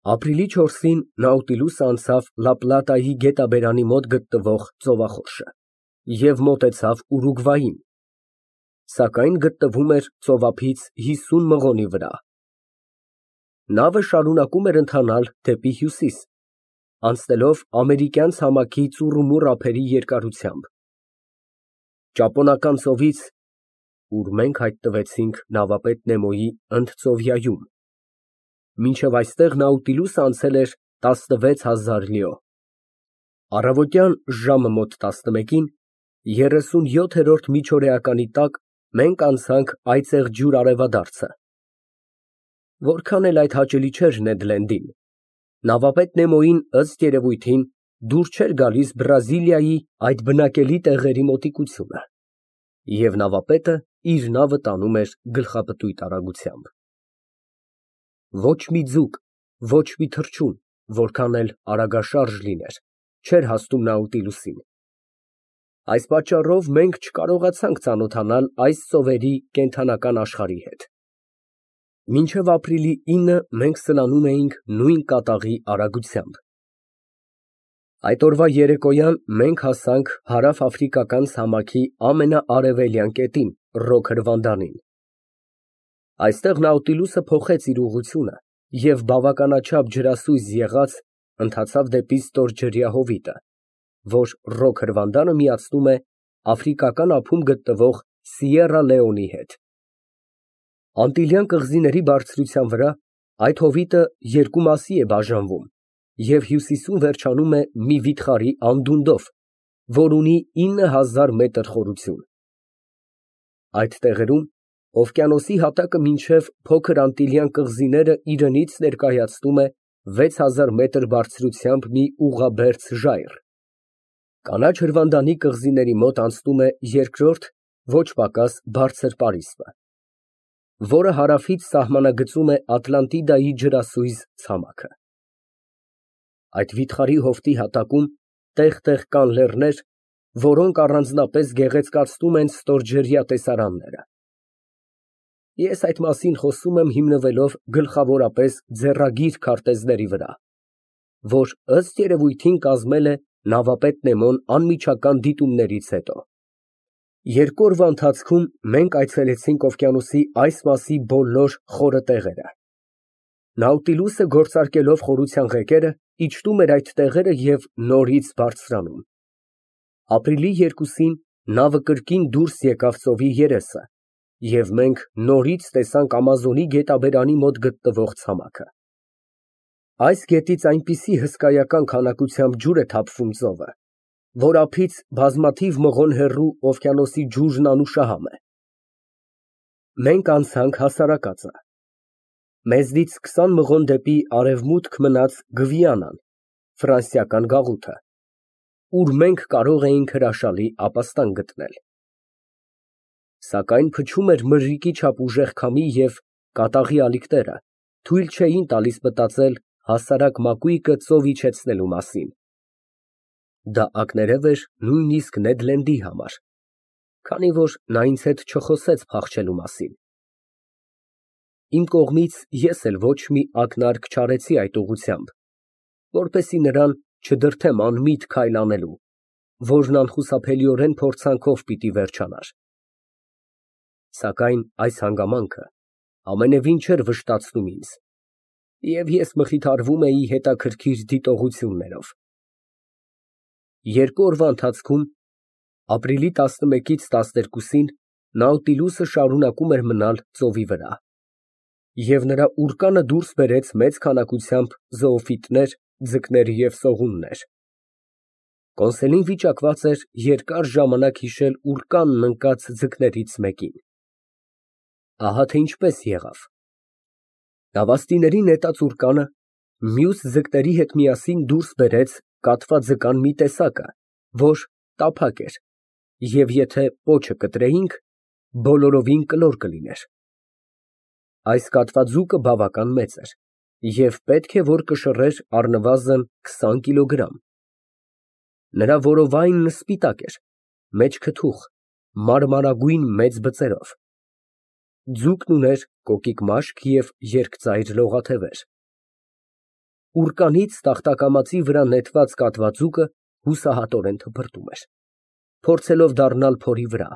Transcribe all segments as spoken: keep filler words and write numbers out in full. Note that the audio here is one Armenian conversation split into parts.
Ապրիլի չորսին Նաուտիլուսը անցավ Լա Պլատայի գետաբերանի մոտ գտնվող ծովախորշը և մոտեցավ Ուրուգվային, սակայն գտնվում էր ծովափից հիսուն մղոնի վրա։ Նավը շարունակում էր ընթանալ դեպի հյուսիս, անցնելով ամերիկյան ցամաքի ծուռումուռ ափերի երկարությամբ, Ճապոնական ծովից, ուր մենք հայտնվեցինք նավապետ Նեմոյի ընդծովյայում, մինչև այստեղ Նաուտիլուսը անցել էր տասնվեց հազար լիո։ Առավոտյան ժամը մոտ տասնմեկին, երեսունյոթերորդ միջօրեականի տակ, մենք անցանք այծեղ ջուր արևադարձը։ Որքան էլ այդ հաճելի չէր Նեդ Լենդին, նավապետ Նեմոյին, ըստ երևույթին, դուր չէր գալիս Բրազիլիայի այդ բնակելի տեղերի մոտիկությունը, և նավապետը իր նավը տանում էր գլխապտույտ արագությամբ։ Ոչ մի ձուկ, ոչ մի թռչուն, որքան էլ արագաշարժ լիներ, չէր հասնում Նաուտիլուսին։ Այս պատճառով մենք չկարողացանք ծանոթանալ այս ծովերի կենդանական աշխարհի հետ։ Մինչև ապրիլի ինը մենք սլանում էինք նույն կատաղի արագությամբ։ Այդ օրվա երեկոյան մենք հասանք հարավաֆրիկական ցամաքի ամենաարևելյան կետին՝ Ռոքր Վանդանին։ Այստեղ Նաուտիլուսը փոխեց իր ուղղությունը և բավականաչափ ջրասույզ եղած, ընթացավ դեպի ստորջրյա հովիտը, որ Ռոքր Վանդանը միացնում է Աֆրիկական ափում գտնվող Սիեռա Լեոնի հետ։ Անտիլյան կղզիների բարձրության վրա այդ հովիտը երկու մասի է բաժանվում և հյուսիսում վերջանում է մի վիթխարի անդունդով, որ ունի ինը հազար մետր խորություն։ Այդ տեղերում օվկիանոսի հատակը մինչև Փոքր Անտիլյան կղզիները իրենից ներկայացնում է վեց հազար մետր բարձրությամբ մի ուղղաբերձ ժայռ։ Կանաչ հրվանդանի կղզիների մոտ անցնում է երկրորդ, ոչ պակաս բարձր պարիսպը, որը հարավից սահմանագծում է Ատլանտիդայի ջրասույզ ցամաքը։ Այդ վիթխարի հովտի հատակում տեղ֊տեղ կան լեռներ, որոնք առանձնապես գեղեցկացնում են ստորջրյա տեսարանները։ Ես այդ մասին խոսում եմ հիմնվելով գլխավորապես ձեռագիր քարտեզների վրա, որ ըստ երևույթին կազմել է նավապետ Նեմոն անմիջական դիտումներից հետո։ Երկու օրվա ընթացքում մենք այցելեցինք օվկիանոսի այս մասի բոլոր խորը տեղերը։ Նաուտիլուսը, գործարկելով խորության ղեկերը, իջնում էր այդ տեղերը և նորից բարձրանում։ Ապրիլի երկուսին նավը կրկին դուրս եկավ ծովի երեսը, և մենք նորից տեսանք Ամազոնի գետաբերանի մոտ գտնվող ցամաքը։ Այս գետից այնպիսի հսկայական քանակությամբ ջուր է թափվում ծովը, որ ափից բազմաթիվ մղոն հեռու օվկիանոսի ջուրն անուշահամ է։ Մենք անցանք հասարակածը։ Մեզնից քսան մղոն դեպի արևմուտք մնաց Գվիանան, ֆրանսիական գաղութը, ուր մենք կարող էինք հրաշալի ապաստան գտնել։ Սակայն փչում էր մրրիկի չափ ուժեղ քամի և կատաղի ալիքները թույլ չէին տալիս մտածել հասարակ մակույկը ծով իջեցնելու մասին։ Դա ակներև էր նույնիսկ Նեդ Լենդի համար, քանի որ նա ինձ հետ չխոսեց փախչելու մասին։ Իմ կողմից ես էլ ոչ մի ակնարկ չարեցի այդ ուղղությամբ, որպեսզի նրան չդրդեմ անմիտ քայլ անելու, որն անխուսափելիորեն փորձանքով պիտի վերջանար։ Սակայն այս հանգամանքը ամենևին չէր վշտացնում ինձ, և ես մխիթարվում էի հետաքրքիր դիտողություններով։ Երկու օրվա ընթացքում, ապրիլի տասնմեկից տասներկուսին, Նաուտիլուսը շարունակում էր մնալ ծովի վրա, և նրա ուռկանը դուրս բերեց մեծ քանակությամբ զոոֆիտներ, ձկներ և սողուններ։ Կոնսերին վիճակված էր երկար ժամանակ հիշել ուռկանն ընկած ձկներից մեկին։ Ահա թե ինչպես եղավ. Նավաստիների նետած ուռկանը մյուս ձկների հետ միասին դուրս բերեց կատվա ձկան մի տեսակը, որ տափակ էր և եթե պոչը կտրեինք, բոլորովին կլոր կլիներ։ Այս կատվաձուկը բավական մեծ էր և պետք է որ կշռեր առնվազն քսան կիլոգրամ։ Նրա որովայնը սպիտակ էր, մեջքը թուխ, մարմարագույն մեծ բծերով։ Ձուկն ուներ կոկիկ մաշկ և երկծայր լողաթևեր։ Ուռկանից տախտակամածի վրա նետված կատվաձուկը հուսահատորեն թփրտում էր, փորձելով դառնալ փորի վրա,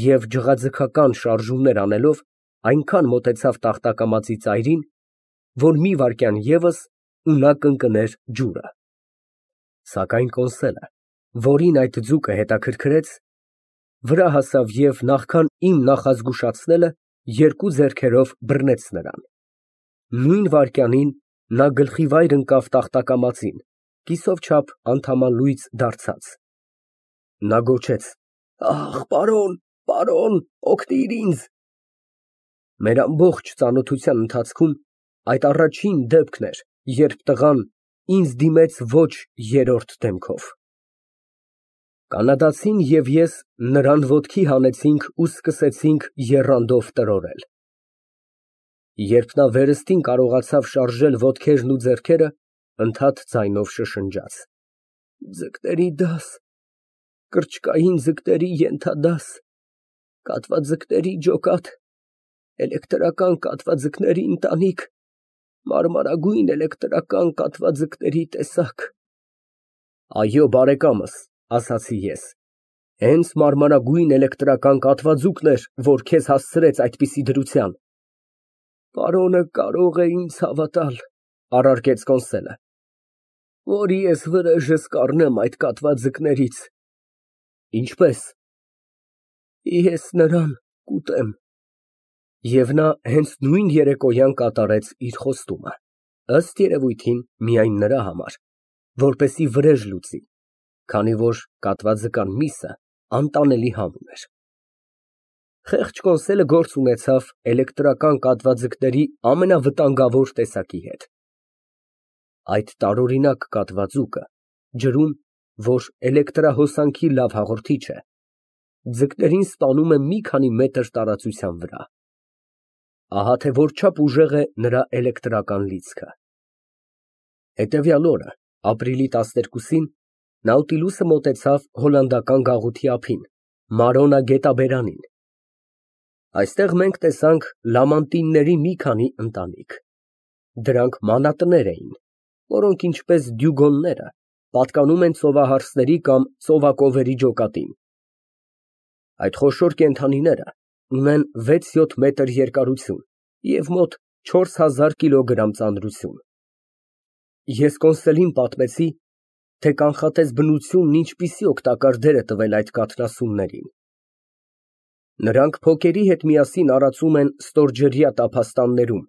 և ջղաձգական շարժումներ անելով այնքան մոտեցավ տախտակամածի ծայրին, որ մի վայրկյան ևս ու նա կընկներ ջուրը։ Սակայն կոնսոլը, որին այդ ձուկը հետաքրքրեց, վրա հասավ և նախքան իմ նախազգուշացնելը, երկու ձեռքերով բռնեց նրան։ Նույն վայրկյանին նա գլխիվայր ընկավ տախտակամածին, կիսով չափ անդամալույծ դարձած։ Նա գոչեց. «Ախ, պարոն, պարոն, օգնիր ինձ»։ Մեր ամբողջ ծանոթության ընթացքում այդ առաջին դեպքն էր, երբ տղան ինձ դիմեց ոչ երրորդ դեմքով։ Կանադացին և ես նրան ոտքի հանեցինք ու սկսեցինք եռանդով տրորել։ Երբ նա վերստին կարողացավ շարժել ոտքերն ու ձեռքերը, ընդհատ ձայնով շշնջաց. «Ձկների դաս, կրճկային ձկների ենթադաս, կատվաձկների ջոկատ, էլեկտրական կատվաձկների ընտանիք, մարմարագույն էլեկտրական կատվաձկների տեսակ»։ Այո, բարեկամս, ասացի ես, հենց մարմարագույն էլեկտրական կատվաձուկն էր, որ քեզ հասցրեց այդպիսի դրության։ Պարոնը կարող է ինձ հավատալ, առարկեց կոնսոլը, որ ես վրեժս կառնեմ այդ կատվաձկներից։ Ինչպե՞ս։ Ես նրան կուտեմ։ Եվ նա հենց նույն երեկոյան կատարեց իր խոստումը, ըստ երևույթին միայն նրա համար, որպեսզի վրեժ լուծի, քանի որ կատվաձկան միսը անտանելի համ ուներ։ Խեղճ կոնսոլը գործ ունեցավ էլեկտրական կատվաձկների ամենավտանգավոր տեսակի հետ։ Այդ տարօրինակ կատվաձուկը, ջրում, որ էլեկտրահոսանքի լավ հաղորդիչ է, ձկներին սպանում է մի քանի մետր տարածության վրա։ Ահա թե որչափ ուժեղ է նրա էլեկտրական լիցքը։ Հետևյալ օրը, ապրիլի տասներկուսին, Նաուտիլուսը մոտեցավ հոլանդական գաղութի ափին, Մարոննա գետաբերանին։ Այստեղ մենք տեսանք լամանտինների մի քանի ընտանիք։ Դրանք մանատներ էին, որոնք, ինչպես դյուգոնները, պատկանում են ծովահարսների կամ ծովակովերի ջոկատին։ Այդ խոշոր կենդանիները ունեն վեց֊յոթ մետր երկարություն և մոտ չորս հազար կիլոգրամ ծանրություն։ Ես կոնսոլին պատմեցի, թե կանխատես բնությունն ինչպիսի օգտակար դեր է տվել այդ կաթնասուններին։ Նրանք փոկերի հետ միասին արածում են ստորջրյա տափաստաններում,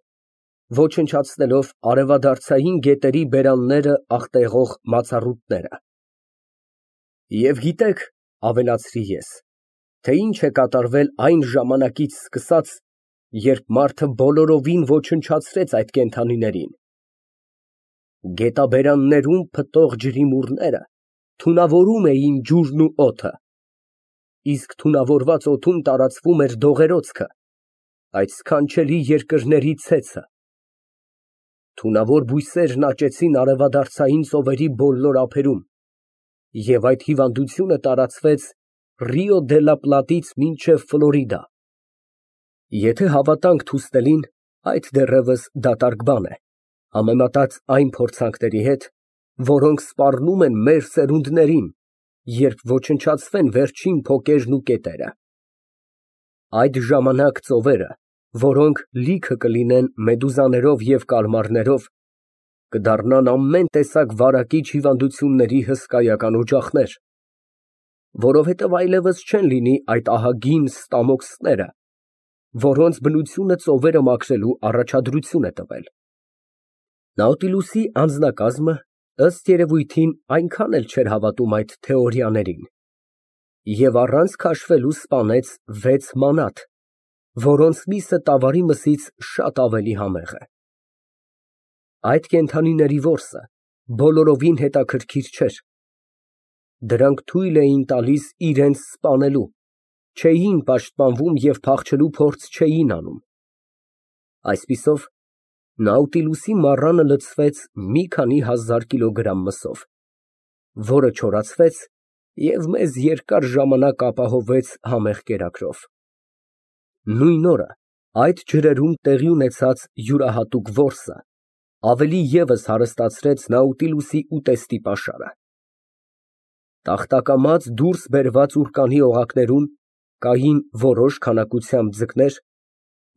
ոչնչացնելով արևադարձային գետերի բերանները աղտեղող մացառուտները։ Եվ գիտեք, ավելացրի ես, թե ինչ է կատարվել այն ժամանակից սկսած, երբ մարդը բոլորովին ոչնչացրեց այդ կենդանիներին։ Գետաբերաններում փտող ջրիմուռները թունավորում էին ջուրն ու օդը, իսկ թունավորված օդում տարածվում էր դողերոցքը, այդ սքանչելի երկրների ցեցը։ Թունավոր բույսերն աճեցին արևադարձային ծովերի բոլոր ափերում, և այդ հիվանդությունը տարածվեց Ռիո դե լա Պլատից մինչև Ֆլորիդա։ Եթե հավատանք թուստելին, այդ դեռևս դատարկ բան է, համեմատած այն փորձանքների հետ, որոնք սպառնում են մեր սերունդներին, երբ ոչնչացվեն վերջին փոկերն ու կետերը։ Այդ ժամանակ ծովերը, որոնք լիքը կլինեն մեդուզաներով և կալմարներով, կդառնան ամեն տեսակ վարակիչ հիվանդությունների հսկայական օջախներ, որովհետև այլևս չեն լինի այդ ահագին ստամոքսները, որոնց բնությունը ծովերը մաքրելու առաջադրություն է տվել։ Նաուտիլուսի անձնակազմը, ըստ երևույթին, այնքան էլ չէր հավատում այդ թեորիաներին և առանց քաշվելու սպանեց վեց մանաթ, որոնց միսը տավարի մսից շատ ավելի համեղ է։ Այդ կենդանիների որսը բոլորովին հետաքրքիր չէր։ Դրանք թույլ էին տալիս իրենց սպանելու, չէին պաշտպանվում և փախչելու փորձ չէին անում։ Այսպիսով, Նաուտիլուսի մառանը լցվեց մի քանի հազար կիլոգրամ մսով, որը չորացվեց և մեզ երկար ժամանակ ապահովեց համեղ կերակրով։ Նույն օրը այդ ջրերում տեղի ունեցած յուրահատուկ որսը ավելի ևս հարստացրեց Նաուտիլուսի ուտեստի պաշարը։ Տախտակամած դուրս բերված ուռկանի օղակներում կային որոշ քանակությամբ ձկներ,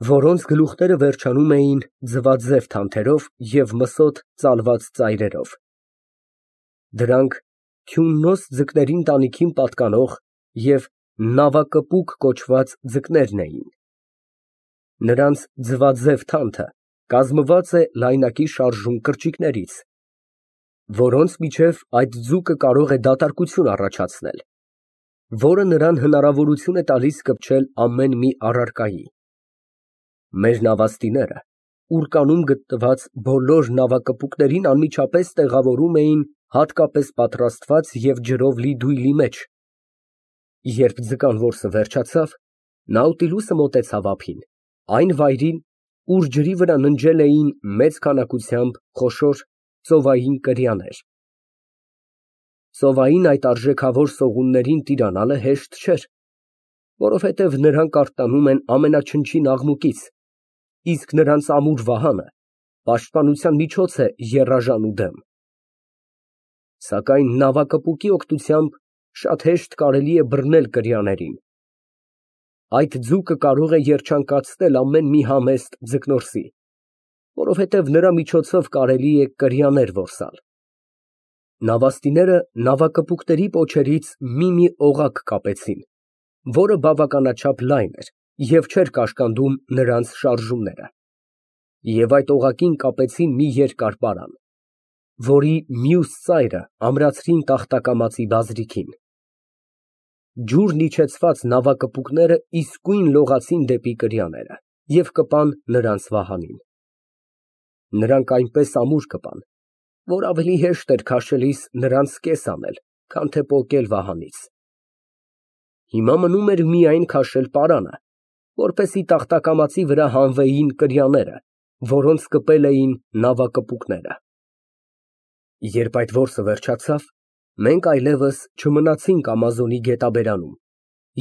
որոնց գլուխները վերջանում էին ձվաձև թանթերով և մսոտ ծալված ծայրերով։ Դրանք Քյուննոս ձկների ընտանիքին պատկանող և նավակպուկ կոչված ձկներն էին։ Նրանց ձվաձև թանթը կազմված է լայնակի շարժուն կրճիկներից, որոնց միջև այդ ձուկը կարող է դատարկություն առաջացնել, որը նրան հնարավորություն է տալիս կպչել ամեն մի առարկայի։ Մեր նավաստիները ուռկանում գտնված բոլոր նավակպուկներին անմիջապես տեղավորում էին հատկապես պատրաստված և ջրով լի դույլի մեջ։ Երբ ձկան որսը վերջացավ, Նաուտիլուսը մոտեցավ ափին, այն վայրին, ուր ջրի վրա ննջել էին մեծ քանակությամբ խոշոր ծովային կրյաներ։ Ծովային այդ արժեքավոր սողուններին տիրանալը հեշտ չէր, որովհետև նրանք արթնանում են ամենաչնչին աղմուկից, իսկ նրանց ամուր վահանը պաշտպանության միջոց է եռաժանու դեմ։ Սակայն նավակպուկի օգնությամբ շատ հեշտ կարելի է բռնել կրյաներին։ Այդ ձուկը կարող է երջանկացնել ամեն մի համեստ ձկնորսի, որովհետև նրա միջոցով կարելի է կրյաներ որսալ։ Նավաստիները նավակպուկների պոչերից մի֊մի օղակ կապեցին, որը բավականաչափ լայն էր և չէր կաշկանդում նրանց շարժումները, և այդ օղակին կապեցին մի երկար պարան, որի մյուս ծայրը ամրացրին տախտակամածի բազրիքին։ Ջուրն իջեցված նավակպուկները իսկույն լողացին դեպի կրյաները և կպան նրանց վահանին։ Նրանք այնպես ամուր կպան, որ ավելի հեշտ էր քաշելիս նրանց կես անել, քան թե պոկել վահանից։ Հիմա մնում էր միայն քաշել պարանը, որպեսզի տախտակամածի վրա հանվեին կրյաները, որոնց կպել էին նավակպուկները։ Երբ այդ որսը վերջացավ, մենք այլևս չմնացինք Ամազոնի գետաբերանում,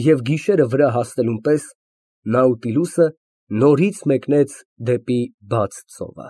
և գիշերը վրա հասնելուն պես Նաուտիլուսը նորից մեկնեց դեպի բաց ծովը։